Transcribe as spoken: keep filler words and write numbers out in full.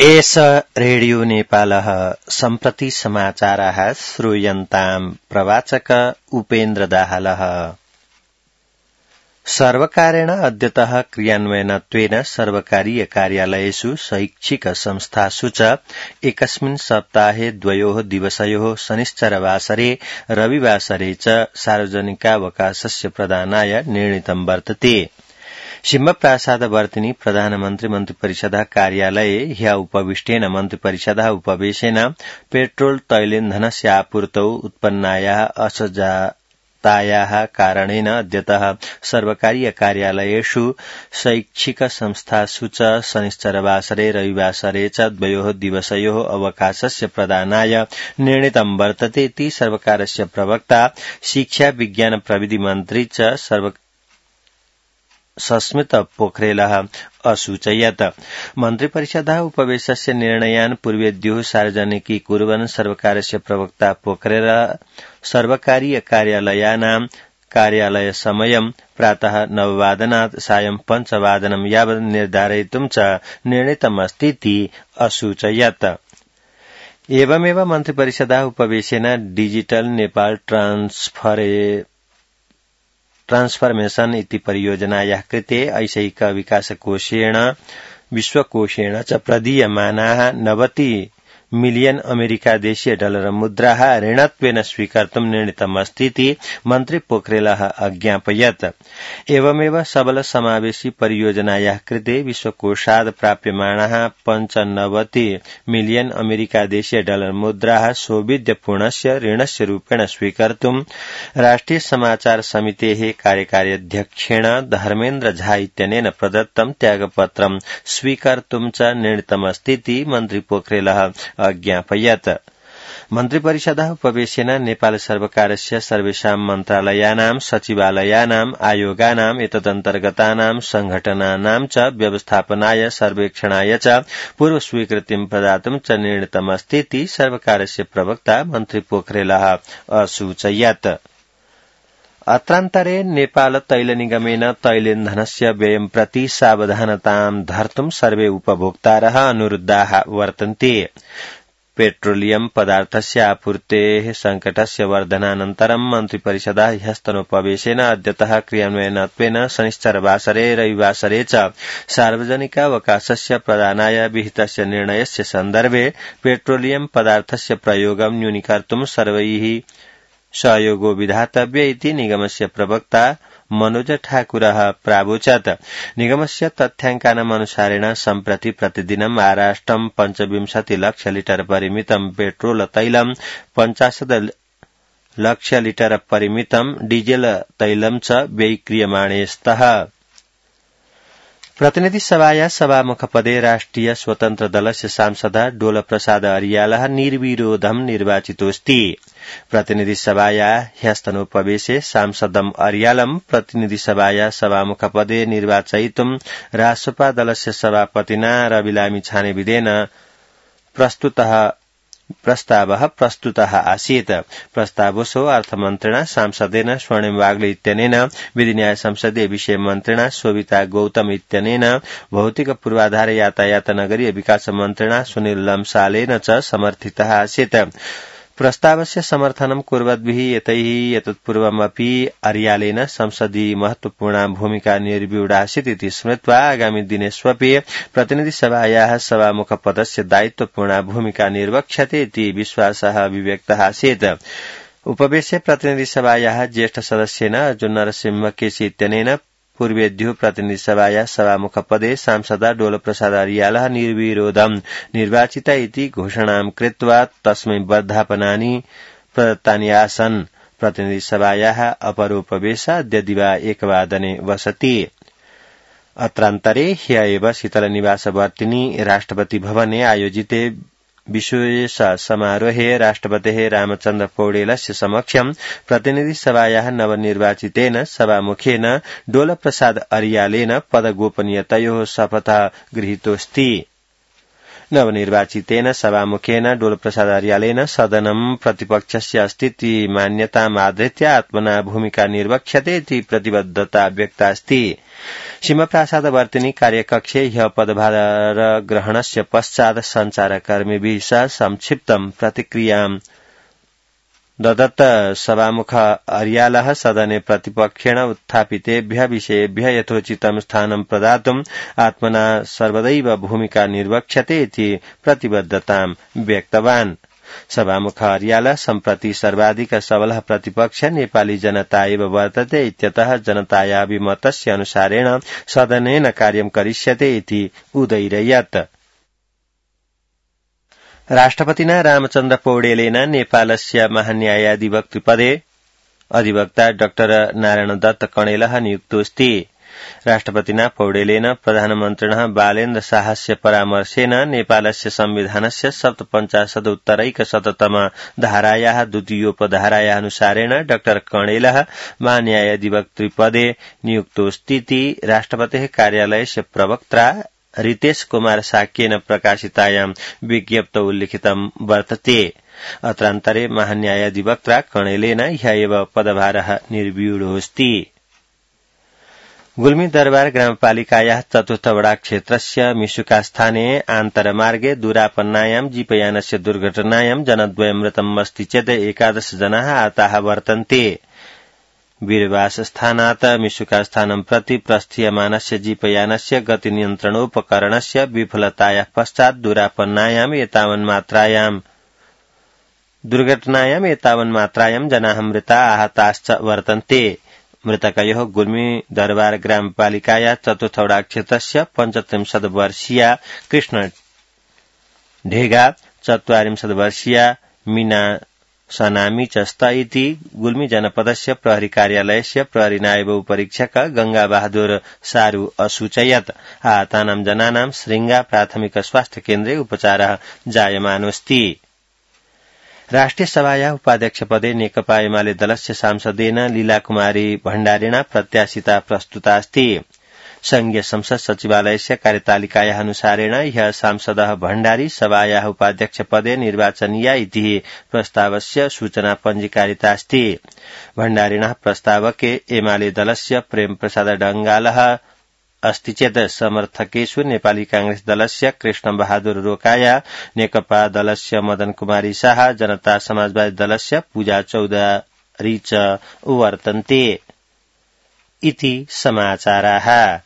एष रेडियो नेपालः सम्प्रति समाचाराः श्रूयन्ताम् प्रवाचक उपेन्द्र दाहालः। सर्वकारेण अद्यतः क्रियान्वयनत्वेन सर्वकारीय कार्यालयेषु शैक्षिक संस्थासु च एकस्मिन् सप्ताहे द्वयोः दिवसयोः शनिश्चरवासरे रविवासरे च सार्वजनिकावकाशस्य प्रदानाय निर्णीतं वर्तते। सिंहप्रासादवर्तिनी प्रधानमन्त्री मन्त्रिपरिषदः कार्यालये ह्य उपविष्टेन मन्त्रिपरिषदः उपवेशेन पेट्रोल तैलेन्धनस्य आपूर्तौ उत्पन्नायाः असजातायाः कारणेन अद्यतः सर्वकारीय कार्यालयेषु शैक्षिक संस्थासु च शनिश्चरवासरे रविवासरे च द्वयोः दिवसयोः अवकाशस्य प्रदानाय निर्णीतं वर्तते इति सर्वकारस्य प्रवक्ता शिक्षा विज्ञान प्रविधि मन्त्री च सर्व सस्मित पोखरेलः असूचयत्। मन्त्रिपरिषदः उपवेशस्य निर्णयान् पूर्वेद्युः सार्वजनिकीकुर्वन् सर्वकारस्य प्रवक्ता पोखरेलः सर्वकारीय कार्यालयानां कार्यालयसमयं प्रातः नववादनात् सायं पञ्चवादनं यावत् निर्धारयितुं च निर्णीतमस्तीति असूचयत्। एवमेव मन्त्रिपरिषदः उपवेशेन डिजिटल नेपाल ट्रान्सफरे ट्रान्सफर्मेशन इति परियोजनायाः कृते ऐशैक विकासकोषेण विश्वकोषेण च प्रदीयमानाः नवति मिलियन अमेरिकादेशीय डलर मुद्राः ऋणत्वेन स्वीकर्तुं निर्णीतमस्तीति मन्त्री पोखरेलः अज्ञापयत्। एवमेव सबल समावेशी परियोजनायाः कृते विश्वकोषात् प्राप्यमाणाः पञ्चनवति मिलियन अमेरिकादेशीय डलर मुद्राः सौविध्यपूर्णस्य ऋणस्य रूपेण स्वीकर्तुं राष्ट्रिय समाचार समितेः कार्यकार्याध्यक्षेण धर्मेन्द्र झा इत्यनेन प्रदत्तं त्यागपत्रं स्वीकर्तुं च निर्णीतमस्तीति मन्त्री पोखरेलः अज्ञापयत्। मन्त्रिपरिषदः उपवेशेन नेपाल सर्वकारस्य सर्वेषां मन्त्रालयानां सचिवालयानां आयोगानां एतदन्तर्गतानां संघटनानां च व्यवस्थापनाय सर्वेक्षणाय च पूर्व स्वीकृतिं प्रदातुं च निर्णीतमस्तीति सर्वकारस्य प्रवक्ता मन्त्री पोखरेलः असूचयत्। अत्रान्तरे नेपाल तैल निगमेन तैलेन्धनस्य व्ययं प्रति सावधानतां धर्तुं सर्वे उपभोक्तारः अनुरुद्धाः वर्तन्ते। पेट्रोलियम पदार्थस्य आपूर्तेः संकटस्य वर्धनानन्तरं मन्त्रिपरिषदः ह्यस्तनोपवेशेन अद्यतः क्रियान्वयनत्वेन शनिश्चरवासरे रविवासरे च सार्वजनिकावकाशस्य प्रदानाय विहितस्य निर्णयस्य सन्दर्भे पेट्रोलियम पदार्थस्य प्रयोगं न्यूनीकर्तुं सर्वैः सहयोगो विधातव्य इति निगमस्य प्रवक्ता मनोज ठाकुरः प्रावोचत्। निगमस्य तथ्याङ्कानाम् अनुसारेण सम्प्रति प्रतिदिनं आराष्ट्रं पञ्चविंशति लक्ष लिटर परिमितं पेट्रोल तैलं पञ्चाशत् लक्ष लिटर परिमितं डीजेल तैलं च व्ययीक्रियमाणे स्तः। प्रतिनिधि सभाया सभामुखपदे राष्ट्रिय स्वतन्त्र दलस्य सांसदः डोलप्रसाद अर्यालः निर्विरोधं निर्वाचितोऽस्ति। प्रतिनिधि सभाया ह्यस्तनोपवेशे सांसदम् अर्यालं प्रतिनिधि सभाया सभामुखपदे निर्वाचयितुं रासपा दलस्य सभापतिना रवि लामिछानेविदेन प्रस्तुतः प्रस्तावः प्रस्तुतः आसीत्। प्रस्तावसो अर्थमन्त्रिणा सांसदेन स्वर्णिम वाग्ले इत्यनेन विधिन्याय संसदीय विषय मन्त्रिणा शोभिता गौतम इत्यनेन भौतिक पूर्वाधार यातायात नगरीय विकास मन्त्रिणा सुनील लम्सालेन च समर्थितः आसीत्। प्रस्तावस्य समर्थनं कुर्वद्भिः एतैः एतत्पूर्वमपि अर्यालेन संसदीय महत्वपूर्णा भूमिका निर्व्यूढासीत् इति स्मृत्वा आगामि दिनेष्वपि प्रतिनिधिसभायाः सभामुखपदस्य दायित्वपूर्णा भूमिका निर्वक्ष्यते इति विश्वासः अभिव्यक्तः आसीत्। उपवेशे प्रतिनिधिसभायाः ज्येष्ठ सदस्येन अर्जुन नरसिंह केसी इत्यनेन पूर्वेद्युः प्रतिनिधिसभायाः सभामुखपदे सांसदा डोलप्रसाद अर्यालः निर्विरोधं निर्वाचित इति घोषणां कृत्वा तस्मै वर्धापनानि प्रदत्तानि आसन्। प्रतिनिधिसभायाः अपरोपवेशः अद्य दिवा एकवादने वसति। अत्रान्तरे ह्य एव शीतलनिवासवर्तिनी राष्ट्रपति भवने आयोजिते विशेष समारोहे राष्ट्रपतेः रामचन्द्र पौडेलस्य समक्षं प्रतिनिधिसभायाः नवनिर्वाचितेन सभामुखेन डोलप्रसाद अर्यालेन पदगोपनीयतयोः शपथः गृहीतोऽस्ति। नवनिर्वाचितेन सभामुखेन डोलप्रसाद अर्यालेन सदनं प्रतिपक्षस्य अस्ति मान्यतामाधृत्य आत्मना भूमिका निर्वक्ष्यते इति प्रतिबद्धता व्यक्ता अस्ति। सीमाप्रासादवर्तिनी कार्यकक्षे ह्य पदभारग्रहणस्य पश्चात् सञ्चारकर्मिभिः सह संक्षिप्तं प्रतिक्रियां ददत्। सभामुख अर्यालः सदने प्रतिपक्षेण उत्थापितेभ्यः विषयेभ्यः यथोचितं स्थानं प्रदातुम् आत्मना सर्वदैव भूमिका निर्वक्ष्यते इति प्रतिबद्धतां व्यक्तवान्। सभामुख अर्यालः सम्प्रति सर्वाधिक सबलः प्रतिपक्ष नेपाली जनता एव वर्तते इत्यतः जनतायाभिमतस्य अनुसारेण सदनेन कार्यं करिष्यते इति उदैरयत्। राष्ट्रपतिना रामचन्द्र पौडेलेन नेपालस्य महान्यायाधिवक्तृपदे अधिवक्ता डाक्टर नारायण दत्त कणेलः नियुक्तोऽस्ति। राष्ट्रपतिना पौडेलेन प्रधानमन्त्रिणः बालेन्द्र शाहस्य परामर्शेन नेपालस्य संविधानस्य सप्तपञ्चाशदुत्तरैकशततम धारायाः द्वितीयोपधारायाः अनुसारेण डाक्टर कणेलः महान्यायाधिवक्तृपदे नियुक्तोऽस्तीति राष्ट्रपतेः कार्यालयस्य प्रवक्त्रा रितेश कुमार साक्येन प्रकाशितायां विज्ञप्तौ उल्लिखितं वर्तते। अत्रान्तरे महान्यायाधिवक्त्रा कणेलेन ह्य एव पदभारः निर्व्यूढोऽस्ति। गुल्मी दरबार ग्रामपालिकायाः चतुर्थ वडा क्षेत्रस्य मिशुका स्थाने आन्तरमार्गे दुरापन्नायां जीपयानस्य दुर्घटनायां जनद्वयं मृतम् अस्ति चेत् एकादश जनाः आहताः वर्तन्ते। वीरवासस्थानात् मिशुका स्थानं प्रति प्रस्थीयमानस्य जीपयानस्य गतिनियन्त्रणोपकरणस्य विफलतायाः पश्चात् दुरापन्नायाम् एतावन्मात्रायां दुर्घटनायाम् एतावन्मात्रायां जनाः मृता आहताश्च वर्तन्ते। मृतकयोः गुल्मी दरबार ग्रामपालिकाया चतुर्थवडा क्षेत्रस्य पञ्चत्रिंशत् वर्षीया कृष्ण ढेगा, चत्वारिंशत् वर्षीया मीना सनामी च स्त इति गुल्मी जनपदस्य प्रहरी कार्यालयस्य प्रहरी नायब उपरीक्षक गंगा बहादुर सारू असूचयत्। आहतानां जनानां श्रृंगा प्राथमिक स्वास्थ्य केन्द्रे उपचारः जायमानोऽस्ति। राष्ट्रिय सभाया उपाध्यक्षपदे नेकपा एमाले दलस्य सांसदेन लीलाकुमारी भण्डारिणा प्रत्याशिता प्रस्तुता अस्ति। संघीय संसद सचिवालयस्य कार्यतालिकायाः अनुसारेण ह्यः सांसदः भण्डारी सभायाः उपाध्यक्षपदे निर्वाचनीया इति प्रस्तावस्य सूचना पञ्जीकारिता अस्ति। भण्डारिणः प्रस्तावके एमाले दलस्य प्रेम प्रसाद डंगालः अस्ति चेत् समर्थकेषु नेपाली कांग्रेस दलस्य कृष्ण बहादुर रोकाया, नेकपा दलस्य मदन कुमारी शाह, जनता समाजवादी दलस्य पूजा चौधरी च वर्तन्ते इति समाचाराः।